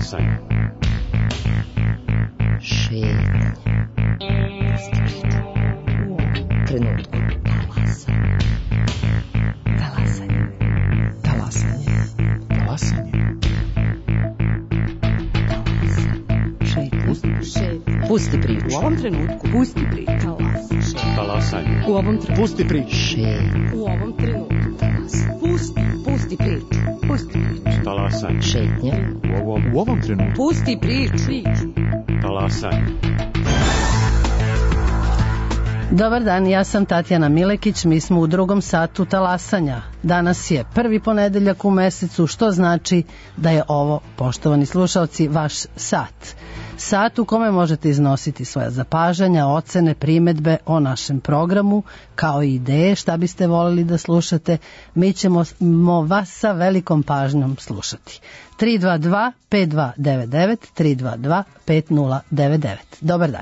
Talasanje. Šetnje. Trenutku. Talasanje. Talasanje. Talasanje. Šetnje. Pusti priču. U ovom trenutku. Pusti priču. Talasanje. U ovom trenutku. Pusti priču. Šetnje. U ovom trenutku. Pusti priču. Pusti priču. Talasanje. Šetnje. U ovom trenutku. Pusti priču. Talasanje. Dobar dan, ja sam Tatjana Milekić, mi smo u drugom satu talasanja. Danas je prvi ponedeljak u mesecu, što znači da je ovo, poštovani slušalci, vaš sat. Sat u kome možete iznositi svoja zapažanja, ocene, primedbe o našem programu, kao i ideje šta biste voljeli da slušate. Mi ćemo vas sa velikom pažnjom slušati. 322-5299, 322-5099. Dobar dan.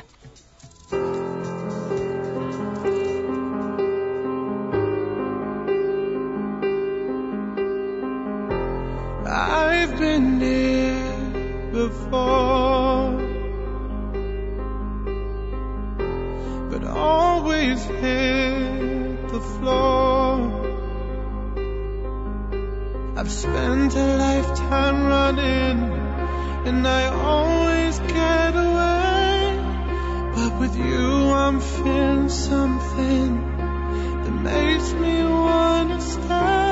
I've been here before, but always hit the floor. I've spent a lifetime running, and I always get away. But with you I'm feeling something that makes me wanna stay.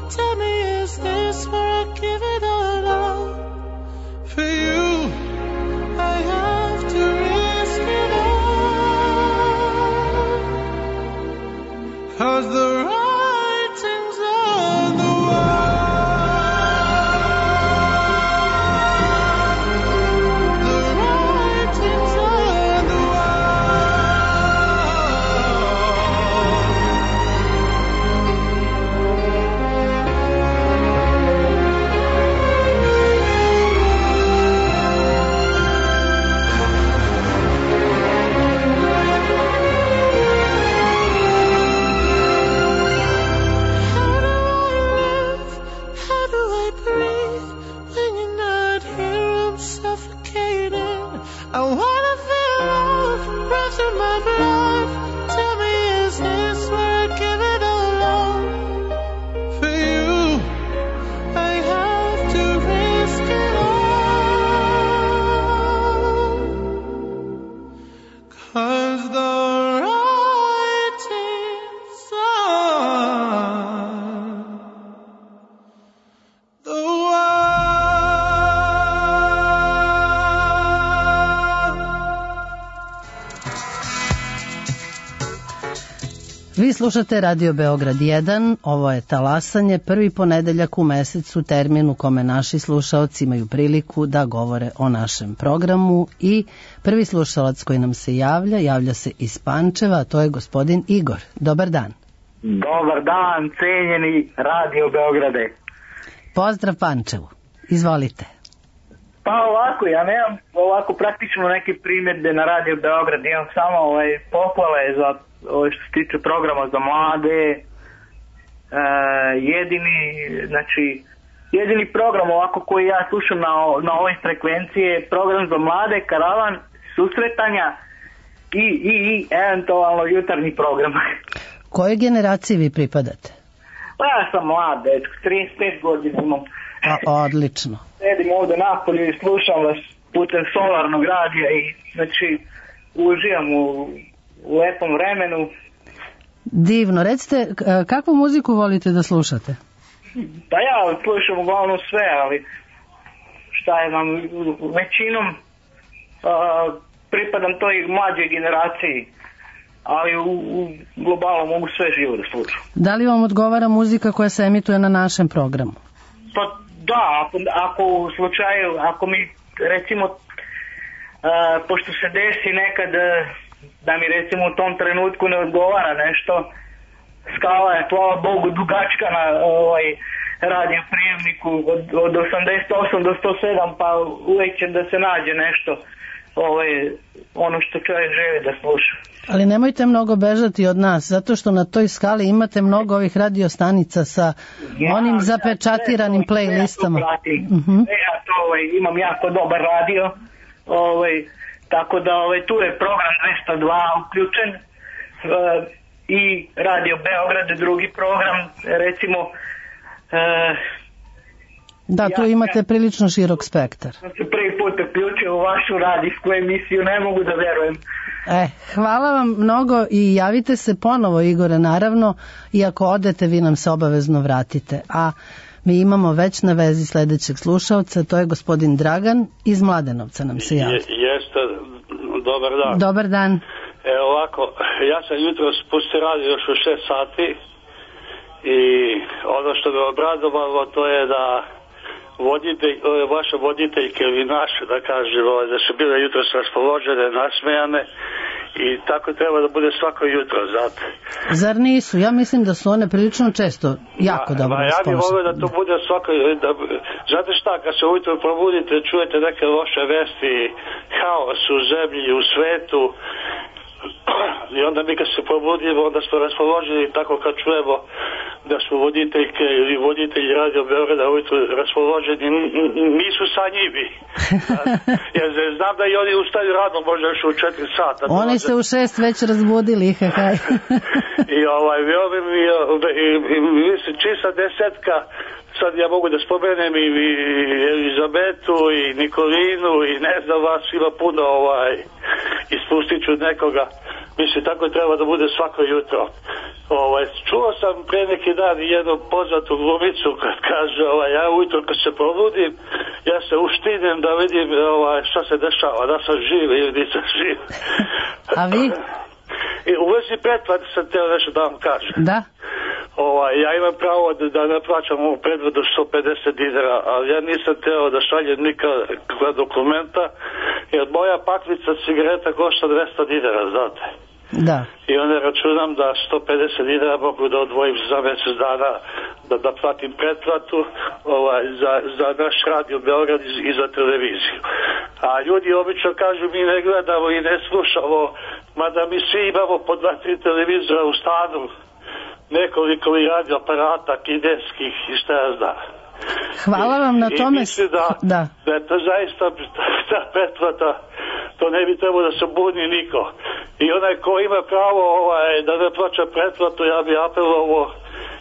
Tell me, is this where I get Vi slušate Radio Beograd 1, ovo je Talasanje, prvi ponedeljak u mesecu, termin u kome naši slušaoci imaju priliku da govore o našem programu i prvi slušalac koji nam se javlja se iz Pančeva, a to je gospodin Igor. Dobar dan. Dobar dan, cenjeni Radio Beograde. Pozdrav Pančevu, izvolite. Pa ovako, ja nemam ovako praktično neke primjedbe na Radio Beograd, imam samo pohvale za što se tiče programa za mlade. Jedini program ovako koji ja slušam na ovoj frekvenciji je program za mlade, karavan, susretanja i eventualno jutarnji program. Kojoj generaciji vi pripadate? Pa ja sam mlad, 35 godina imam. Odlično. Sedim ovde napolju i slušam vas putem solarnog radija i uživam u lepom vremenu. Divno. Recite, kakvu muziku volite da slušate? Pa ja slušam uglavnom sve, ali šta je vam, većinom pripadam toj mlađoj generaciji, ali u globalu mogu sve živo da slušam. Da li vam odgovara muzika koja se emituje na našem programu? Pa da, ako u slučaju, ako mi recimo, pošto se desi nekad da mi recimo u tom trenutku ne odgovara nešto, skala je, hvala Bogu, dugačka na radio prijemniku od 88 do 107, pa uvijek će da se nađe nešto, ono što čovjek želi da sluša. Ali nemojte mnogo bežati od nas, zato što na toj skali imate mnogo ovih radio stanica sa onim zapečatiranim playlistama. Ja to imam jako dobar radio, tako da tu je program 202 uključen i Radio Beograd, drugi program, recimo. Da, tu imate prilično širok spektar. Sam se prvi put uključio u vašu radijsku emisiju, ne mogu da verujem. Hvala vam mnogo i javite se ponovo, Igore, naravno, i ako odete vi nam se obavezno vratite. A mi imamo već na vezi sledećeg slušalca, to je gospodin Dragan iz Mladenovca nam se javlja. Jeste, dobar dan. Dobar dan. Ovako, ja sam jutro spustio radio još u 6 sati i ono što me obradovalo to je da vaše voditeljke ili naše, da kažem, da su bile jutro raspoložene, nasmejane i tako treba da bude svako jutro, znate. Zar nisu? Ja mislim da su one prilično često jako dobro raspoložene. Ja bih volio da to bude svako, znate šta, kad se ujutro probudite, čujete neke loše vesti, haos u zemlji, u svetu, i onda mi kad se probudimo, onda smo raspoloženi tako kad čujemo da smo voditeljke ili voditelji Radio Beograda ujutro raspoloženi, nisu sanjivi. Jer znam da i oni ustaju rano, možda još u 4 sata. Oni se u 6 već razbudili, haj. I mislim, čista desetka, sad ja mogu da spomenem i Elizabetu i Nikolinu i ne znam vas, ima puno ispustit ću nekoga. Mislim, tako treba da bude svako jutro. Čuo sam pre neki dan jednu poznatu glumicu kad kaže, ja ujutro kad se probudim, ja se uštinem da vidim šta se dešava, da sam živ ili nisam živ. A vi? I u vezi pretplate sam teo nešto da vam kažem. Da? Ja imam pravo da ne plaćam ovu pretplatu 150 dinara, ali ja nisam teo da šaljem nikakva dokumenta, jer moja paklica cigareta košta 200 dinara, znate. Da. I onda računam da 150 dinara mogu da odvojim za mjesec dana da platim pretplatu za naš Radio Beograd i za televiziju. A ljudi obično kažu mi ne gledamo i ne slušamo, mada mi svi imamo po 2-3 televizora u stanu, nekoliko i radio aparata kineskih i šta ja znam. Hvala vam na tome. I mislim da je to zaista ta pretplata, to ne bi trebalo da se buni niko. I onaj ko ima pravo da ne plaća pretplatu, ja bi apelovao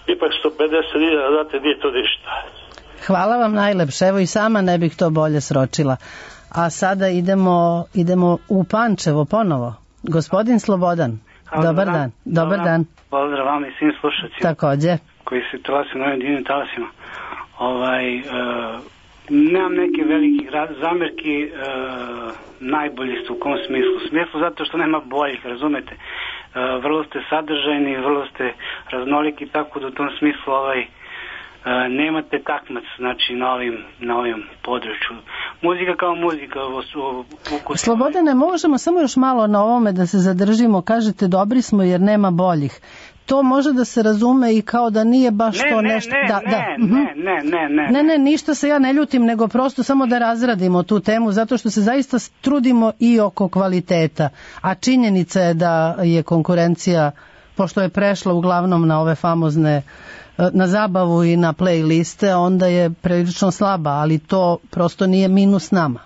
ipak 150 dinara, znate, nije to ništa. Hvala vam najlepše, evo i sama ne bih to bolje sročila. A sada idemo u Pančevo ponovo. Gospodin Slobodan, dobar dan. Dobar dan. Pozdrav vam i svim slušacima. Takođe. Koji se talasi na ovim divnim talasima. Nemam neke velike zamerki, najbolji su u kom smislu zato što nema boljih, razumete. vrlo ste sadržajni, vrlo ste raznoliki, tako da u tom smislu nemate takmac, znači na ovim području. Muzika kao muzika. Slobodane, možemo samo još malo na ovome da se zadržimo. Kažete dobri smo jer nema boljih. To može da se razume i kao da nije baš to nešto... Ne, ništa se ja ne ljutim, nego prosto samo da razradimo tu temu, zato što se zaista trudimo i oko kvaliteta. A činjenica je da je konkurencija, pošto je prešla uglavnom na ove famozne, na zabavu i na playliste, onda je prilično slaba, ali to prosto nije minus nama.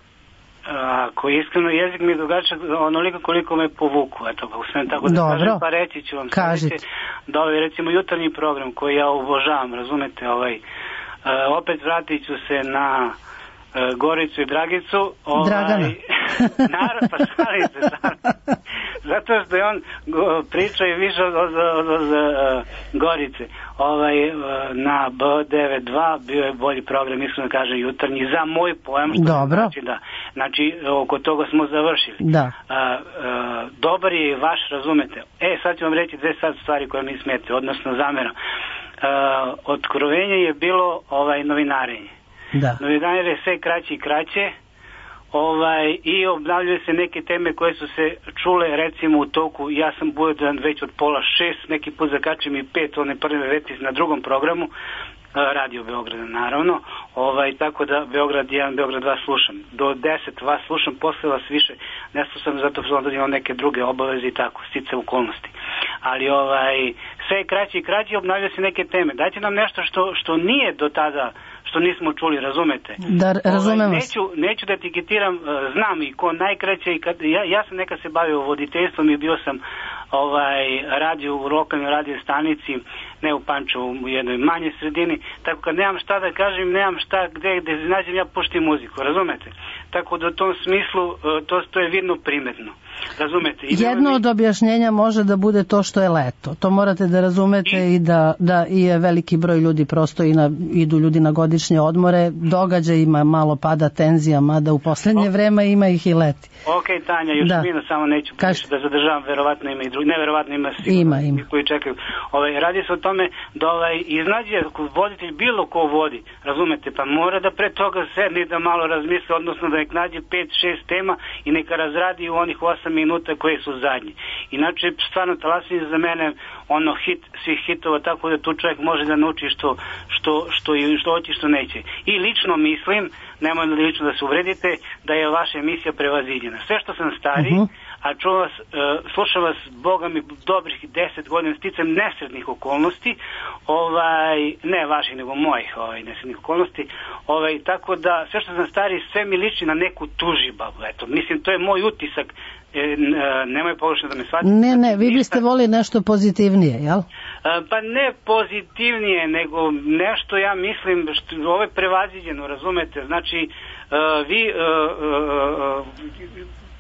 Ako iskreno, jezik mi je dugačak onoliko koliko me povuku, eto, pa sve tako da kažem, pa reći ću vam sljedeće, da recimo jutarnji program koji ja obožavam, razumete, opet vratit ću se na Goricu i Dragicu. Dragana. Pa šalim se. Zato što je on pričao i više od Gorice. Na B92 bio je bolji program, iskreno da kažem, jutarnji, za moj pojam. Dobro. Znači, oko toga smo završili. Da. Dobar je vaš, razumete. Sad ću vam reći dve sad stvari koje mi smete, odnosno zameram. Otkrovenje je bilo novinarenje. Da. Novinare je sve kraće i kraće i obnavljaju se neke teme koje su se čule recimo u toku, ja sam budan već od 5:30, neki put zakačim i 5, one prve veti na drugom programu, Radio Beograda naravno, tako da Beograd 1, Beograd 2 slušam. Do 10 vas slušam, posle vas više ne slušam, zato što onda imam neke druge obaveze i tako, stice okolnosti. Ali sve je kraće i kraće, obnavljaju se neke teme. Dajte nam nešto što nije do tada, što nismo čuli, razumete? Da, razumem vas. Neću da etiketiram, znam i ko najkraće, i ja sam nekad se bavio voditeljstvom i bio sam radio u lokalnoj radio stanici, ne u Pančevu, u jednoj manjoj sredini, tako kad nemam šta da kažem, nemam šta gde nađem, ja puštim muziku, razumete? Tako da u tom smislu to je vidno primetno. Razumete? Jedno od objašnjenja može da bude to što je leto. To morate da razumete i da je veliki broj ljudi prosto idu ljudi na godišnje odmore, događajima malo pada tenzija, mada u poslednje vreme ima ih i leti. Ok, Tanja, još minut, samo neću da zadržavam, verovatno ima i drugi, neverovatno ima sigurno koji čekaju. Radi se o tome da iznađe voditelj, bilo ko vodi, razumete, pa mora da pre toga sedne da malo razmisle, odnosno da nek nađe 5-6 tema i neka razradi u onih 8 minuta koje su zadnji. Inače, stvarno Talasanje za mene hit svih hitova, tako da tu čovjek može da nauči što hoće, što neće. I lično mislim, nemoj lično da se uvredite, da je vaša emisija prevaziđena. Sve što sam stari, a slušam vas, Boga mi, dobrih 10 godina, sticam nesretnih okolnosti, ne vaših, nego mojih nesretnih okolnosti, tako da sve što sam stari, sve mi liči na neku tužibabu, eto, mislim, to je moj utisak, nemoj pogrešno da me shvatite. Ne, vi biste volili nešto pozitivnije, jel? Pa ne pozitivnije, nego nešto, ja mislim, ovo je prevaziđeno, razumete, znači, vi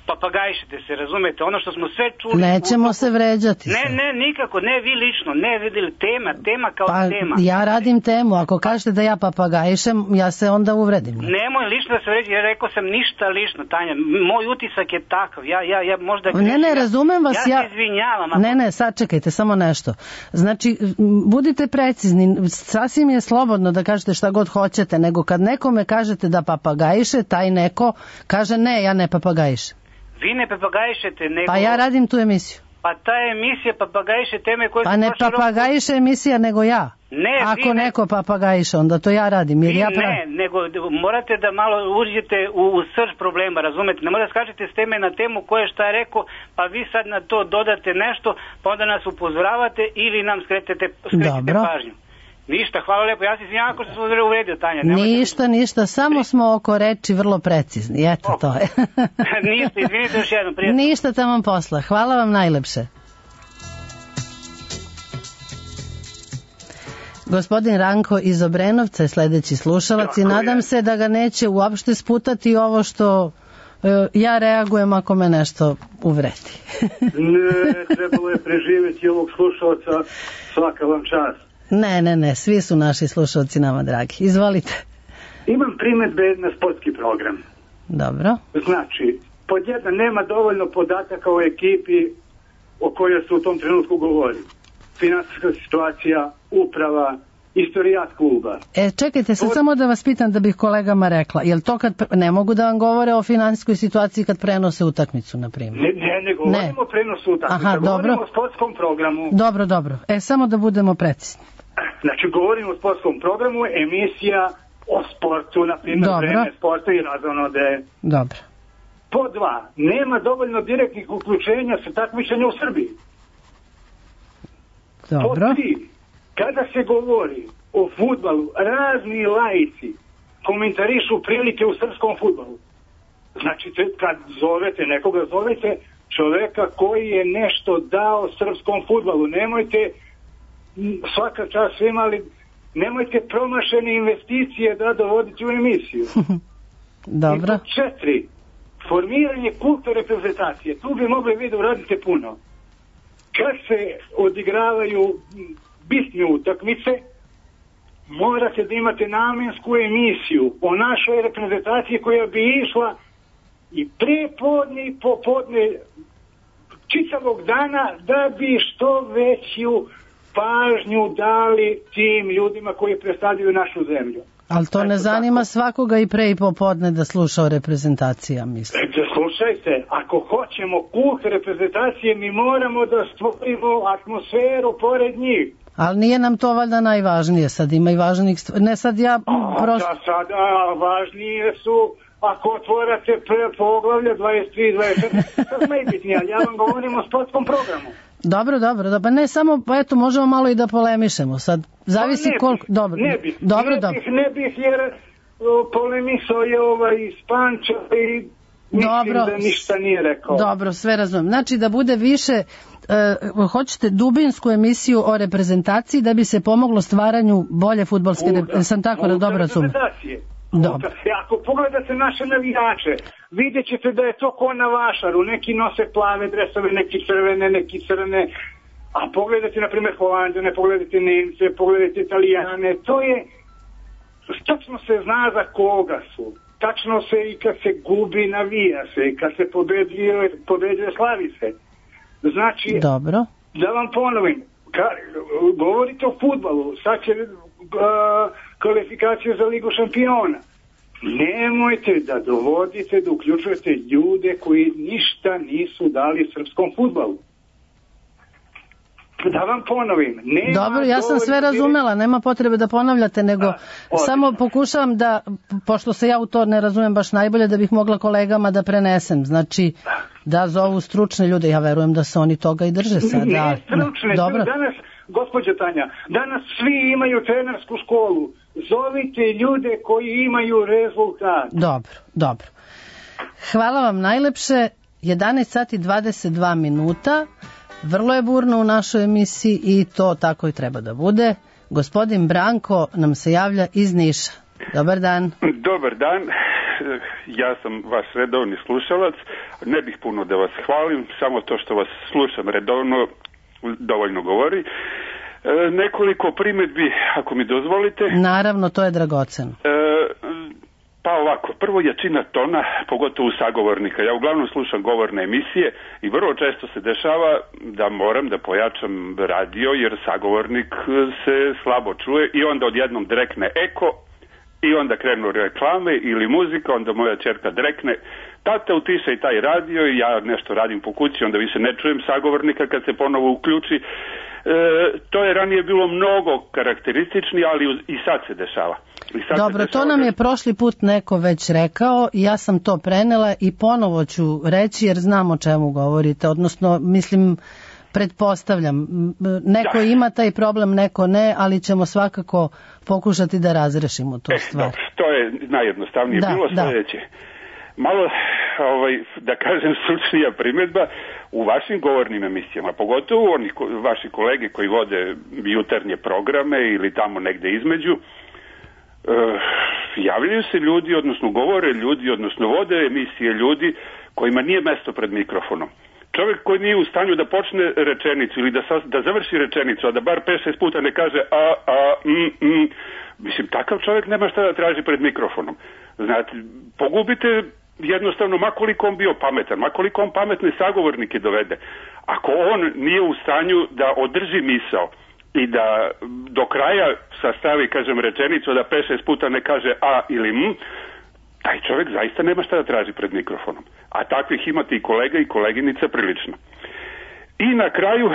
papagajšite se, razumete, ono što smo sve čuli... Nećemo se vređati. Ne, nikako, ne vi lično, ne vidjeli, tema kao tema. Ja radim temu, ako kažete da ja papagajšem, ja se onda uvredim. Nemoj lično da se vređi, ja rekao sam ništa lično, Tanja, moj utisak je takav, ja možda... Ne, razumem vas, ja se izvinjavam. Ne, sačekajte, samo nešto. Znači, budite precizni, sasvim je slobodno da kažete šta god hoćete, nego kad nekome kažete da papagajše, taj neko kaže ne, ja ne papagajšem. Vi ne papagajšete, nego... Pa ja radim tu emisiju. Pa ta emisija papagajše teme koje... Pa ne papagajše emisija, nego ja. Ako neko papagajše, onda to ja radim. Nego morate da malo uđete u srž problema, razumete? Ne morate skačete s teme na temu koje šta je rekao, pa vi sad na to dodate nešto, pa onda nas upozoravate ili nam skretete pažnju. Ništa, hvala lepo, ja se izvinjam ako sam se uvredio, Tanja. Ništa, samo smo oko reči vrlo precizni, eto to je. Ništa, izvinite još jednom, prijatno. Ništa, tamo posla, hvala vam najlepše. Gospodin Ranko iz Obrenovca je sledeći slušalac i nadam se da ga neće uopšte sputati ovo što ja reagujem ako me nešto uvredi. Ne, trebalo je preživjeti ovog slušalca, svaka vam čast. Ne, svi su naši slušalci nama dragi. Izvolite. Imam primjedbe na sportski program. Dobro. Znači, pod jedna, nema dovoljno podataka o ekipi o kojoj se u tom trenutku govori. Finansijska situacija, uprava, istorijat kluba. Čekajte, samo da vas pitam da bih kolegama rekla, jel to kad ne mogu da vam govore o finansijskoj situaciji kad prenose utakmicu, na primjer? Ne govorimo o prenosu utakmicu, govorimo o sportskom programu. Dobro. Samo da budemo precizni. Znači, govorimo o sportskom programu, emisija o sportu, na primjer, vreme sporta i razonode. Dobro. Po 2, nema dovoljno direktnih uključenja sa takmičenja u Srbiji. Dobro. Po 3, kada se govori o fudbalu, razni laici komentarišu prilike u srpskom fudbalu. Znači, kad zovete nekoga, zovete čoveka koji je nešto dao srpskom fudbalu. Nemojte, svaka čast svima, ali nemojte promašene investicije da dovodite u emisiju. Dobro. I po 4, formiranje kulta reprezentacije. Tu bi mogli vi da uradite puno. Kad se odigravaju bitne utakmice, morate da imate namensku emisiju o našoj reprezentaciji koja bi išla i prepodne i popodne čitavog dana da bi što veću pažnju dali tim ljudima koji predstavljaju našu zemlju. Ali to ne zanima svakoga i pre i popodne da sluša o reprezentacija, mislim. Slušajte, ako hoćemo kult reprezentacije, mi moramo da stvorimo atmosferu pored njih. Ali nije nam to valjda najvažnije, sad ima i važnijih stvari. Ne, sad ja prosto... Da, sada važnije su, ako otvorate poglavlja 23, 24, sad najbitnije, ja vam govorim o sportskom programu. Dobro, pa ne samo, pa eto, možemo malo i da polemišemo, sad zavisi koliko... Dobro. Ne bih, jer polemisao je iz Panča i mislim da ništa nije rekao. Dobro, sve razumem. Znači da bude više, hoćete dubinsku emisiju o reprezentaciji da bi se pomoglo stvaranju bolje fudbalske sam tako da dobro razumem. Dobro. Ako pogledate naše navijače, vidjet ćete da je to ko na vašaru, neki nose plave dresove, neki crvene, neki crne, a pogledajte na primjer Holanđane, pogledajte Nemce, pogledajte Italijane, to je, tačno se zna za koga su, tačno se i kad se gubi navija se, i kad se pobeđuje slavi se. Znači, dobro. Da vam ponovim, govorite o fudbalu, sad će kvalifikacije za Ligu šampiona. Nemojte da dovodite, da uključujete ljude koji ništa nisu dali srpskom fudbalu. Da vam ponovim. Dobro, ja sam sve razumela, nema potrebe da ponavljate, nego samo pokušavam da, pošto se ja u to ne razumem baš najbolje, da bih mogla kolegama da prenesem. Znači, da zovu stručne ljude, ja verujem da se oni toga i drže sad. Ne stručne, danas, gospođa Tanja, danas svi imaju trenersku školu. Zovite ljude koji imaju rezultat. Dobro. Hvala vam najlepše. 11 sati 22 minuta. Vrlo je burno u našoj emisiji i to tako i treba da bude. Gospodin Branko nam se javlja iz Niša. Dobar dan. Dobar dan. Ja sam vaš redovni slušalac. Ne bih puno da vas hvalim, samo to što vas slušam redovno dovoljno govori. Nekoliko primjedbi, ako mi dozvolite. Naravno, to je dragoceno. Pa ovako, prvo jačina tona, pogotovo sagovornika. Ja uglavnom slušam govorne emisije i vrlo često se dešava da moram da pojačam radio jer sagovornik se slabo čuje i onda odjednom drekne eko i onda krenu reklame ili muzika, onda moja ćerka drekne: tata, utišaj taj radio, i ja nešto radim po kući, onda više ne čujem sagovornika kad se ponovo uključi. To je ranije bilo mnogo karakteristični, ali i sad se dešava. Dobro, to nam je prošli put neko već rekao i ja sam to prenela i ponovo ću reći jer znam o čemu govorite, odnosno mislim, pretpostavljam, neko ima taj problem, neko ne, ali ćemo svakako pokušati da razrešimo tu stvar. To je najjednostavnije bilo sljedeće. Malo, da kažem, stručnija primjedba u vašim govornim emisijama, pogotovo oni vaši kolege koji vode jutarnje programe ili tamo negde između, javljaju se ljudi, odnosno govore ljudi, odnosno vode emisije ljudi kojima nije mesto pred mikrofonom. Čovjek koji nije u stanju da počne rečenicu ili da završi rečenicu, a da bar 5-6 puta ne kaže mislim, takav čovjek nema šta da traži pred mikrofonom. Znate, pogubite jednostavno, makoliko on bio pametan, makoliko on pametne sagovornike dovede, ako on nije u stanju da održi misao i da do kraja sastavi, kažem, rečenicu, da 5-6 puta ne kaže a ili m, taj čovjek zaista nema šta da traži pred mikrofonom. A takvih imate i kolega i koleginica prilično. I na kraju,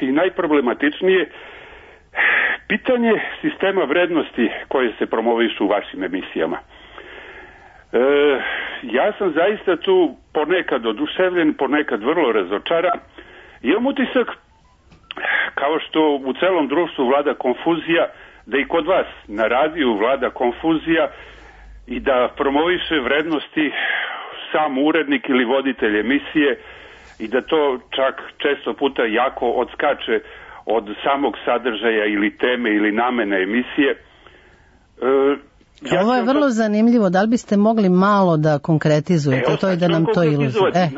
i najproblematičnije, pitanje sistema vrednosti koje se promovišu u vašim emisijama. Ja sam zaista tu ponekad oduševljen, ponekad vrlo razočaran. Imam utisak, kao što u celom društvu vlada konfuzija, da i kod vas na radiju vlada konfuzija i da promoviše vrednosti sam urednik ili voditelj emisije i da to čak često puta jako odskače od samog sadržaja ili teme ili namene emisije. Ovo je vrlo zanimljivo. Da li biste mogli malo da konkretizujete to i da nam to ilustrirate?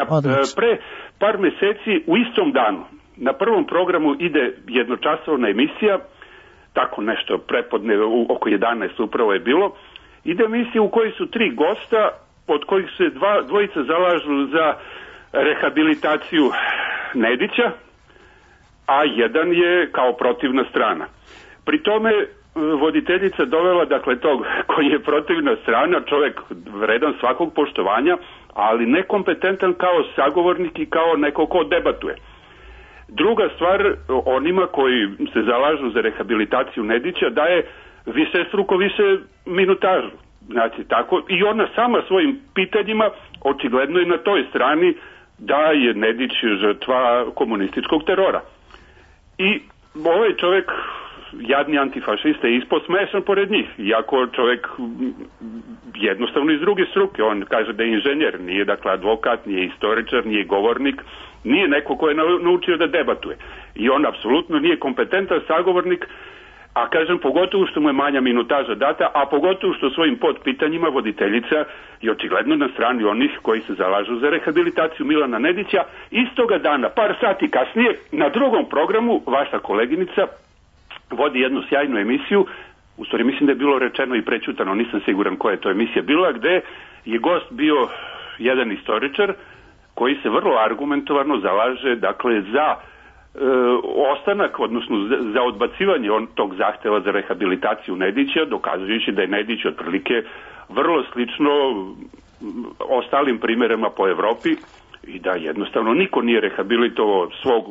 Pre par meseci u istom danu na prvom programu ide jednočasovna emisija, tako nešto prepodne oko 11 upravo je bilo. Ide emisija u kojoj su 3 gosta, od kojih se dvojica zalažu za rehabilitaciju Nedića, a jedan je kao protivna strana. Pri tome voditeljica dovela, dakle, tog koji je protivna strana, čovjek vredan svakog poštovanja, ali nekompetentan kao sagovornik i kao neko ko debatuje. Druga stvar, onima koji se zalažu za rehabilitaciju Nedića daje višestruko više minutažu. Znači, tako, i ona sama svojim pitanjima očigledno je na toj strani da je Nedić žrtva komunističkog terora. I ovaj čovjek, jadni antifašista, je ispod smešan pored njih, iako čovjek jednostavno iz druge struke. On kaže da je inženjer, nije dakle advokat, nije istoričar, nije govornik, nije neko ko je naučio da debatuje. I on apsolutno nije kompetentan sagovornik, a kažem, pogotovo što mu je manja minutaža data, a pogotovo što svojim podpitanjima voditeljica je očigledno na strani onih koji se zalažu za rehabilitaciju Milana Nedića. Istoga dana, par sati kasnije, na drugom programu vaša koleginica vodi jednu sjajnu emisiju, u stvari mislim da je bilo rečeno i prećutano, nisam siguran koja je to emisija bila, gde je gost bio jedan istoričar koji se vrlo argumentovano zalaže, dakle, za ostanak, odnosno za odbacivanje tog zahteva za rehabilitaciju Nedića, dokazujući da je Nedić otprilike vrlo slično ostalim primjerima po Evropi i da jednostavno niko nije rehabilitovao svog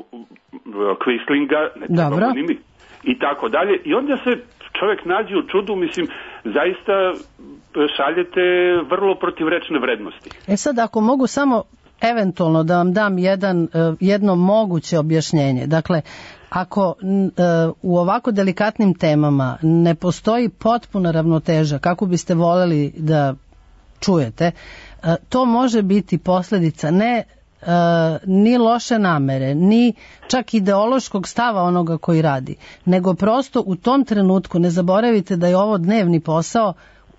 Quislinga, ne trebamo ni mi. I tako dalje. I onda se čovjek nađe u čudu, mislim, zaista šaljete vrlo protivrečne vrednosti. Sad, ako mogu samo eventualno da vam dam jedno moguće objašnjenje. Dakle, ako u ovako delikatnim temama ne postoji potpuna ravnoteža, kako biste voljeli da čujete, to može biti posljedica ne ni loše namere, ni čak ideološkog stava onoga koji radi, nego prosto u tom trenutku, ne zaboravite da je ovo dnevni posao,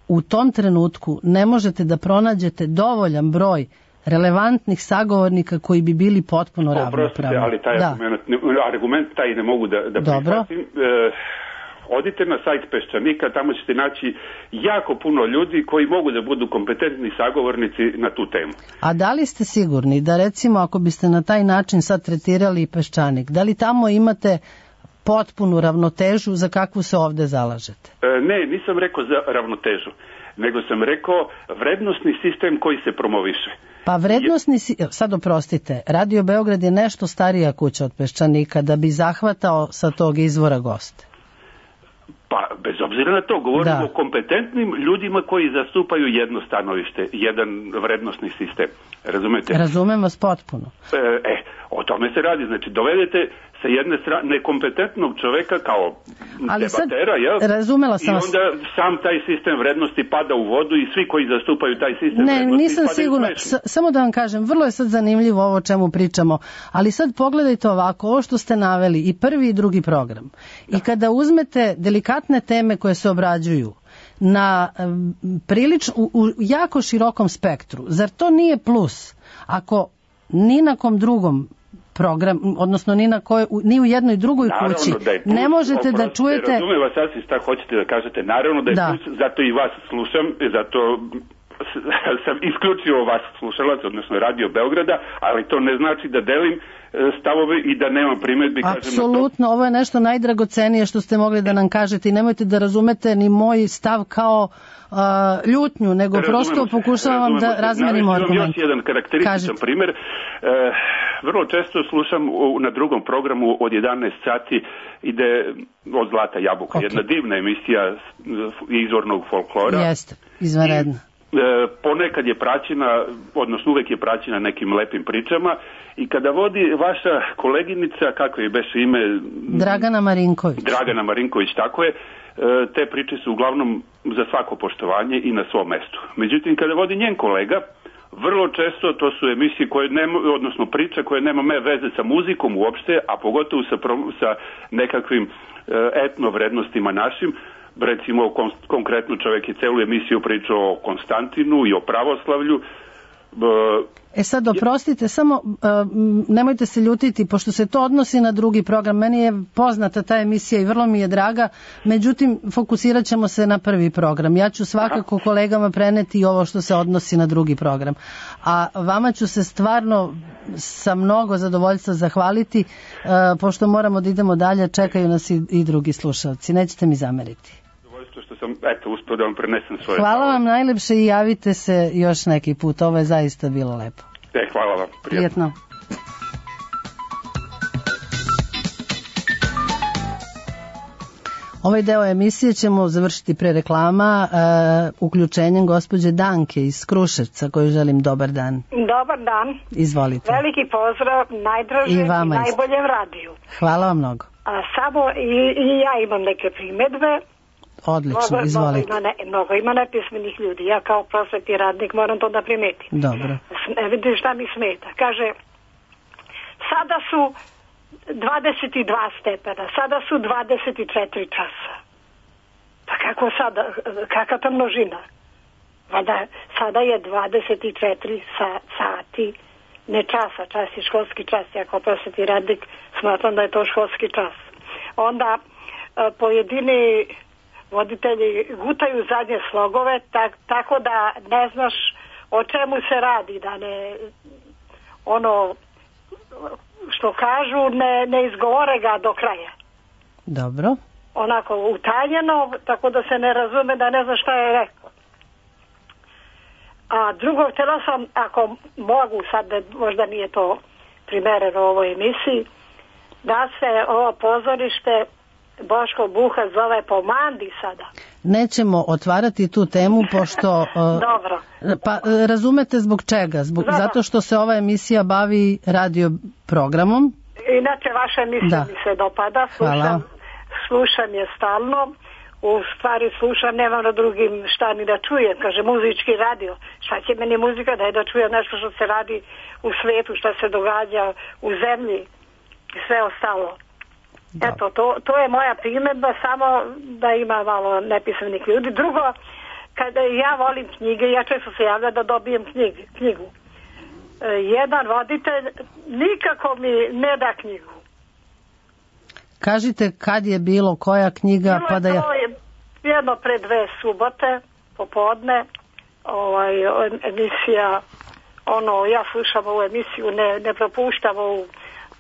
u tom trenutku ne možete da pronađete dovoljan broj relevantnih sagovornika koji bi bili potpuno ravnopravni. Ali taj argument taj ne mogu da prihvatim. Odite na sajt Peščanika, tamo ćete naći jako puno ljudi koji mogu da budu kompetentni sagovornici na tu temu. A da li ste sigurni da, recimo, ako biste na taj način sad tretirali Peščanik, da li tamo imate potpunu ravnotežu za kakvu se ovde zalažete? Ne, nisam rekao za ravnotežu, nego sam rekao vrednostni sistem koji se promoviše. Pa vrednostni, sad oprostite, Radio Beograd je nešto starija kuća od Peščanika da bi zahvatao sa tog izvora goste. Pa, bez obzira na to, govorimo o kompetentnim ljudima koji zastupaju jedno stanovište, jedan vrednostni sistem. Razumete? Razumem vas potpuno. O tome se radi. Znači, dovedete sa jedne strane nekompetentnog čoveka kao debatera, razumela sam vas. I onda sam taj sistem vrednosti pada u vodu i svi koji zastupaju taj sistem vrednosti. Ne, nisam sigurna. Samo da vam kažem, vrlo je sad zanimljivo ovo o čemu pričamo, ali sad pogledajte ovako, ovo što ste naveli, i prvi i drugi program. I kada uzmete delikatne teme koje se obrađuju na u jako širokom spektru, zar to nije plus ako ni na kom drugom program, odnosno ni u jednoj drugoj kući ne možete da čujete... Razumijem vas sasvim šta hoćete da kažete, naravno da je plus, zato i vas slušam, zato sam isključivo vas slušalac, odnosno Radio Beograda, ali to ne znači da delim stavove i da nemam primedbi. Apsolutno, ovo je nešto najdragocenije što ste mogli da nam kažete i nemojte da razumete ni moj stav kao ljutnju, nego prosto pokušavam da razmenimo argument. Još jedan karakterističan primjer. Vrlo često slušam na drugom programu od 11 sati ide Od zlata jabuka. Okay. Jedna divna emisija izvornog folklora. Jeste, izvanredna. Ponekad je praćena, odnosno uvek je praćena nekim lepim pričama i kada vodi vaša koleginica, kako je beše ime? Dragana Marinković. Dragana Marinković, tako je. Te priče su uglavnom za svako poštovanje i na svom mestu. Međutim, kada vodi njen kolega, vrlo često to su emisije koje nema, odnosno priče koje nema veze sa muzikom uopšte, a pogotovo sa nekakvim etno vrednostima našim. Recimo, konkretno čovjek je celu emisiju pričao o Konstantinu i o pravoslavlju. Sad, oprostite, samo nemojte se ljutiti, pošto se to odnosi na drugi program. Meni je poznata ta emisija i vrlo mi je draga, međutim, fokusirat ćemo se na prvi program. Ja ću svakako kolegama preneti ovo što se odnosi na drugi program. A vama ću se stvarno sa mnogo zadovoljstva zahvaliti, pošto moramo da idemo dalje, čekaju nas i drugi slušalci. Nećete mi zameriti. Što sam, uspio da vam prenesem svoje. Hvala vam najlepše i javite se još neki put. Ovo je zaista bilo lepo. Hvala vam. Prijetno. Ovaj deo emisije ćemo završiti pre reklama uključenjem gospođe Danke iz Kruševca, koju želim dobar dan. Dobar dan. Izvolite. Veliki pozdrav najdražem i najboljem radiju. Hvala vam mnogo. Samo i ja imam neke primedbe. Odlično, izvolite. Mnogo ima nepismenih ljudi. Ja kao prosvetni radnik moram to da primetim. Dobro. Vidim šta mi smeta. Kaže, sada su 22 stepena, sada su 24 časa. Pa kako sada, kakva ta množina? Sada je 24 sati, ne časa, čas je školski čas. Ja kao prosvetni radnik smatram da je to školski čas. Onda pojedini voditelji gutaju zadnje slogove, tako da ne znaš o čemu se radi, da ne, ono što kažu, ne izgovore ga do kraja. Dobro. Onako utajeno, tako da se ne razume, da ne zna šta je rekao. A drugo, htjela sam, ako mogu, sad možda nije to primereno u ovoj emisiji, da se ovo pozorište Boško Buha zove po Mandi sada. Nećemo otvarati tu temu, pošto... Dobro. Pa razumete zbog čega? Zato što se ova emisija bavi radio programom. Inače, vaša emisija mi se dopada. Slušam je stalno. U stvari slušam, nemam na drugim šta ni da čujem. Kaže, muzički radio. Šta će meni muzika da je da čujem nešto što se radi u svetu, šta se događa u zemlji i sve ostalo. Da. Eto, to je moja primjedba, samo da ima malo nepismenih ljudi. Drugo, kada ja volim knjige, ja često se javlja da dobijem knjigu. Jedan voditelj nikako mi ne da knjigu. Kažite kad je bilo, koja knjiga? Bilo je to jedno pre 2 subote, popodne, emisija, ja slušam ovu emisiju, ne propuštam u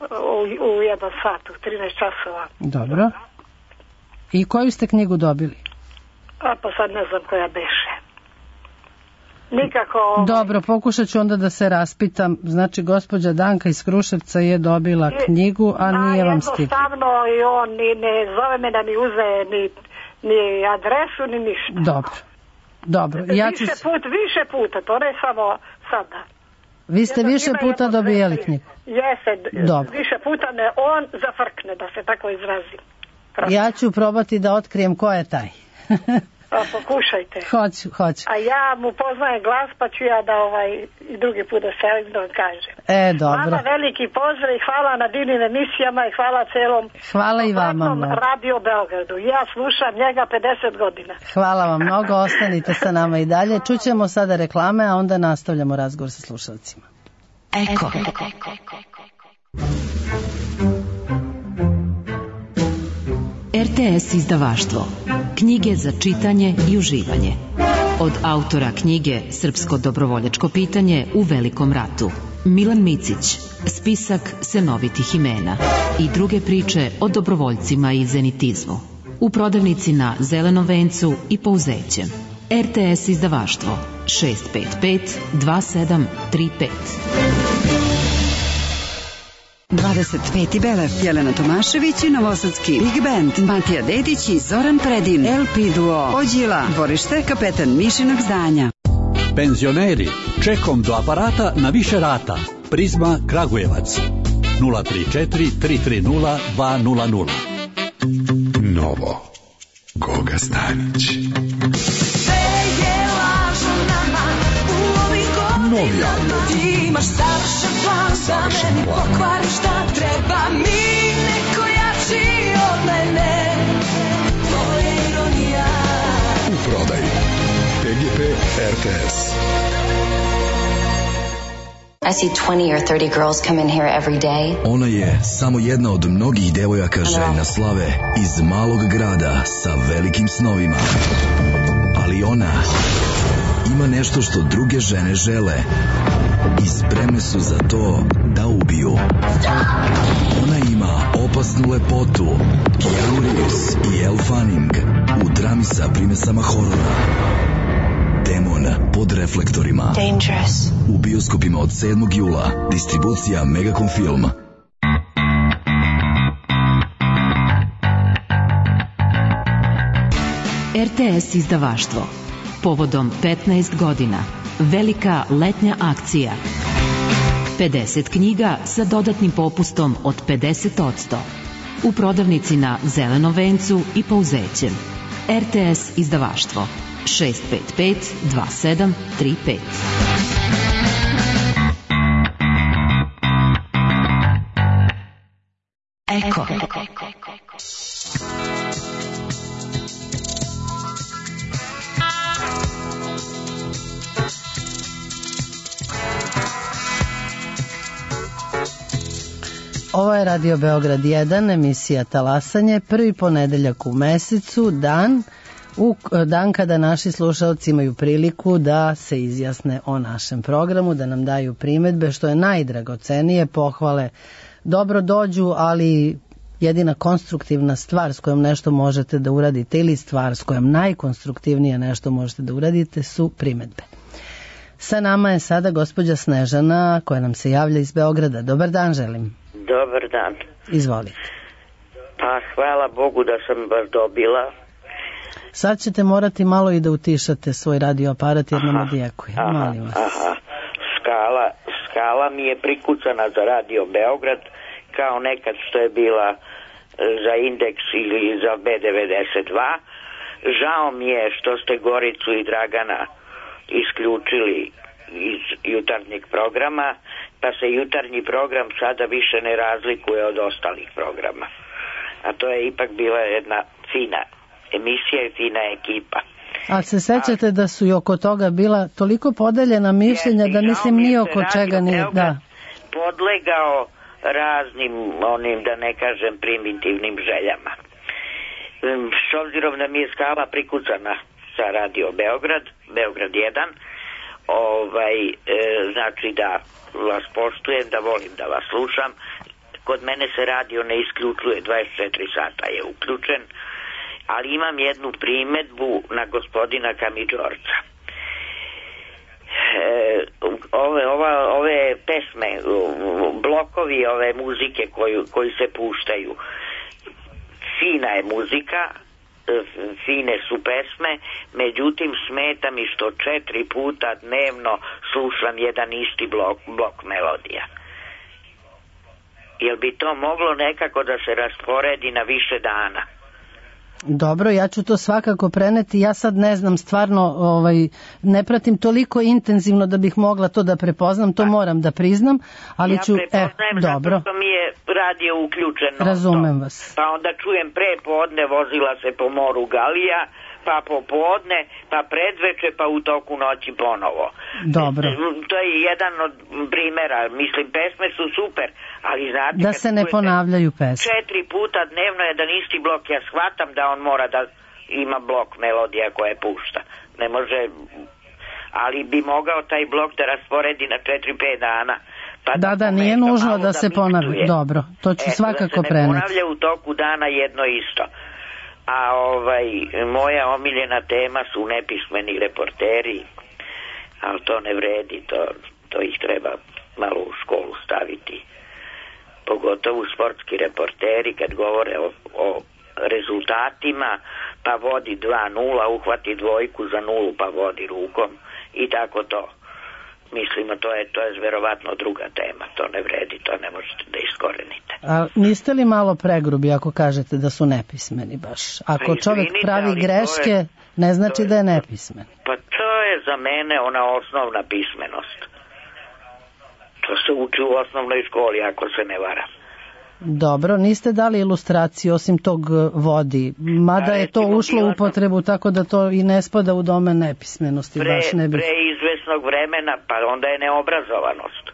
1 sat, u 13 časova. Dobro. I koju ste knjigu dobili? Pa sad ne znam koja beše. Nikako... Dobro, pokušat ću onda da se raspitam. Znači, gospođa Danka iz Kruševca je dobila knjigu, a nije vam stigla. Jednostavno i on ne zove me da mi uze ni adresu, ni ništa. Dobro. Više puta, to ne samo sada. Vi ste više puta dobijali knjigu? Jeste, više puta me on zafrkne, da se tako izrazim. Ja ću probati da otkrijem ko je taj. Pokušajte. Hoću. A ja mu poznajem glas, pa ću ja da i drugi put da se da vam kažem. Dobro. Vama veliki pozdrav i hvala na divnim emisijama i hvala celom hvala i vama Radio Beogradu. Ja slušam njega 50 godina. Hvala vam mnogo, ostanite sa nama i dalje. Čućemo sada reklame, a onda nastavljamo razgovor sa slušalcima. Eko. RTS izdavaštvo. Knjige za čitanje i uživanje. od autora knjige Srpsko dobrovoljačko pitanje u Velikom ratu. Milan Micić, spisak senovitih imena i druge priče o dobrovoljcima i zenitizmu. U prodavnici na Zelenom vencu i Pouzećem. RTS izdavaštvo 655 2735. 25. Belev, Jelena Tomašević i Novosadski Big Band, Matija Dedić i Zoran Predin, LP Duo, Ođila, dvorište Kapetan Mišinog zdanja. Penzioneri, čekom do aparata na više rata. Prizma Kragujevac 034 330 200. Novo Goga Stanić. Novi album. Imaš savršen plan za mene, pokvari šta treba mi, neko jači od mene. To je ironija. U prodaji PGP RTS. I see 20 or 30 girls come in here every day. Ona je samo jedna od mnogih devojaka željna slave iz malog grada sa velikim snovima. Ali ona ima nešto što druge žene žele i spremne su za to da ubiju. Ona ima opasnu lepotu, Keanu Reeves i Elle Fanning u drami sa primesama horora. Demon pod reflektorima. Dangerous. U bioskopima od 7. jula. Distribucija Megacom Film. RTS izdavaštvo. Povodom 15 godina. Velika letnja akcija. 50 knjiga sa dodatnim popustom od 50%. U prodavnici na Zelenom vencu i Pouzećem. RTS izdavaštvo 655 2735. Eko. Ovo je Radio Beograd 1, emisija Talasanje, prvi ponedeljak u mesecu, dan kada naši slušalci imaju priliku da se izjasne o našem programu, da nam daju primedbe, što je najdragocenije, pohvale dobro dođu, ali jedina konstruktivna stvar s kojom nešto možete da uradite ili stvar s kojom najkonstruktivnije nešto možete da uradite su primedbe. Sa nama je sada gospođa Snežana koja nam se javlja iz Beograda. Dobar dan želim. Dobar dan. Izvolite. Pa hvala Bogu da sam vas dobila. Sad ćete morati malo i da utišate svoj radio aparat jer nam odjekuje. Molim vas. Skala mi je prikucana za Radio Beograd kao nekad što je bila za Indeks ili za B92. Žao mi je što ste Goricu i Dragana isključili iz jutarnjeg programa, pa se jutarnji program sada više ne razlikuje od ostalih programa. A to je ipak bila jedna fina emisija i fina ekipa. A se sećate da su i oko toga bila toliko podeljena mišljenja da mislim ni oko čega nije. Da. Podlegao raznim onim, da ne kažem, primitivnim željama. S obzirom da mi je skala prikucana sa Radio Beograd, Beograd 1, znači da vas poštujem, da volim da vas slušam. Kod mene se radio ne isključuje, 24 sata je uključen, ali imam jednu primedbu na gospodina Kamidžorca. Ove pesme, blokovi ove muzike koji se puštaju, fina je muzika, fine su pesme, međutim smeta mi što 4 puta dnevno slušam jedan isti blok melodija. Jel bi to moglo nekako da se rasporedi na više dana? Dobro, ja ću to svakako preneti. Ja sad ne znam, stvarno ne pratim toliko intenzivno da bih mogla to da prepoznam, to moram da priznam, ali ću... Ja prepoznajem zato što mi je radio uključeno. Razumem vas. Pa onda čujem pre podne vozila se po moru Galija, pa popodne, pa predveče, pa u toku noći ponovo. Dobro. To je jedan od primjera. Mislim, pesme su super, ali znate... Da se ne ponavljaju pesme. 4 puta dnevno jedan isti blok, ja shvatam da on mora da ima blok melodija koje pušta. ne može, ali bi mogao taj blok da rasporedi na 4-5 dana. Pa da, nije nužno da se ponavlja. Dobro, to ću svakako preneti. Da se ne ponavlja u toku dana jedno isto. A moja omiljena tema su nepismeni reporteri, ali to ne vredi, to ih treba malo u školu staviti. Pogotovo sportski reporteri kad govore o rezultatima, pa vodi 2-0, uhvati dvojku za 0 pa vodi rukom i tako to. Mislimo, to je verovatno druga tema, to ne vredi, to ne možete da iskorenite. A niste li malo pregrubi ako kažete da su nepismeni baš? Ako čovjek pravi greške, ne znači da je nepismen. Pa to je za mene ona osnovna pismenost. To se uči u osnovnoj školi, ako se ne varam. Dobro, niste dali ilustraciju osim tog vodi, mada je to ušlo u upotrebu, tako da to i ne spada u domen nepismenosti. Pre izvesnog vremena, pa onda je neobrazovanost.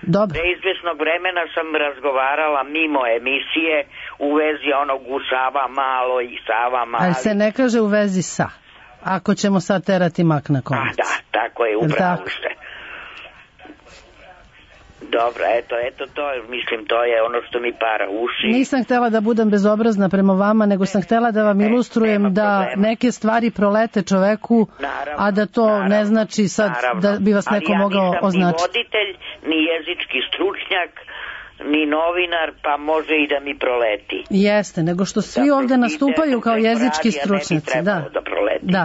Dobro. Pre izvesnog vremena sam razgovarala mimo emisije u vezi onog u Sava malo i Sava mali. Ali se ne kaže u vezi sa, ako ćemo sad terati mak na konac. Da, tako je, upravo ste. Dobro, eto to, mislim, to je ono što mi para uši. Nisam htjela da budem bezobrazna prema vama, nego sam htjela da vam ilustrujem da neke stvari prolete čoveku, a da to ne znači sad da bi vas neko mogao označiti. Ali ja nisam ni voditelj, ni jezički stručnjak, ni novinar, pa može i da mi proleti. Jeste, nego što svi ovdje nastupaju kao jezički stručnjaci.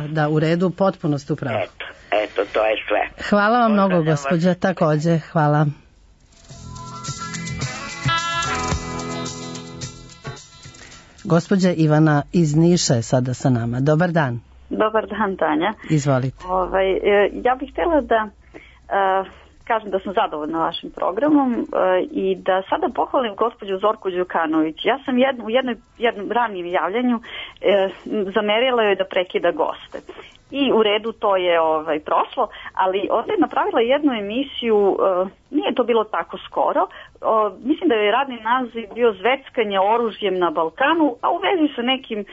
Da, u redu, potpuno ste u pravu. Eto, to je sve. Hvala vam mnogo, gospođa, također, hvala. Gospođa Ivana iz Niša je sada sa nama. Dobar dan. Dobar dan, Tanja. Izvolite. Ja bih htjela da kažem da sam zadovoljna vašim programom i da sada pohvalim gospođu Zorku Đukanović. Ja sam u jednom ranijem javljanju zamerila joj da prekida goste. I u redu to je prošlo, ali ovdje je napravila jednu emisiju, nije to bilo tako skoro, mislim da je radni naziv bio Zveckanje oružjem na Balkanu, a u vezi sa nekim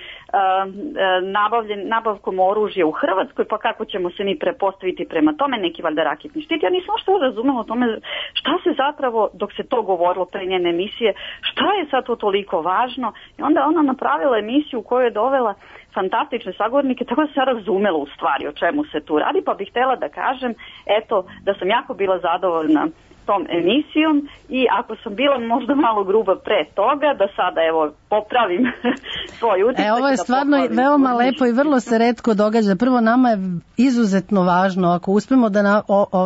nabavkom oružja u Hrvatskoj, pa kako ćemo se mi prepostaviti prema tome, neki valjda raketni štit. Ja nisam što razumela o tome šta se zapravo, dok se to govorilo pre njene emisije, šta je sad to toliko važno, i onda ona napravila emisiju u kojoj je dovela fantastične sagovornike, tako da se razumela u stvari o čemu se tu radi, pa bih htjela da kažem, eto, da sam jako bila zadovoljna tom emisijom i ako sam bila možda malo gruba pre toga, da sada evo popravim svoj utisak. Ovo je stvarno veoma lepo i vrlo se retko događa. Prvo, nama je izuzetno važno ako uspemo da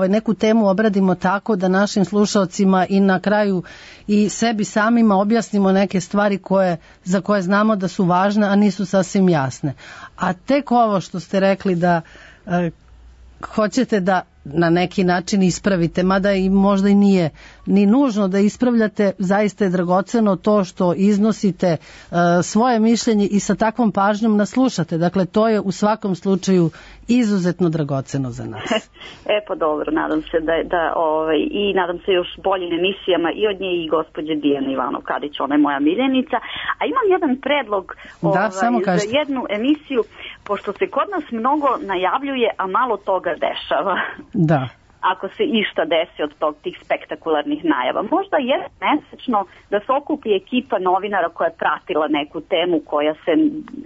neku temu obradimo tako da našim slušalcima i na kraju i sebi samima objasnimo neke stvari za koje znamo da su važne, a nisu sasvim jasne. A tek ovo što ste rekli da hoćete da na neki način ispravite, mada i možda i nije ni nužno da ispravljate, zaista je dragoceno to što iznosite svoje mišljenje i sa takvom pažnjom nas slušate. Dakle, to je u svakom slučaju izuzetno dragoceno za nas. Pa dobro, nadam se i nadam se još boljim emisijama i od nje i gospođe Dijane Ivanov-Kadić, ona je moja miljenica. A imam jedan predlog za jednu emisiju, pošto se kod nas mnogo najavljuje, a malo toga dešava. Da. Ako se išta desi od tih spektakularnih najava. Možda je mesečno da se okupi ekipa novinara koja je pratila neku temu koja se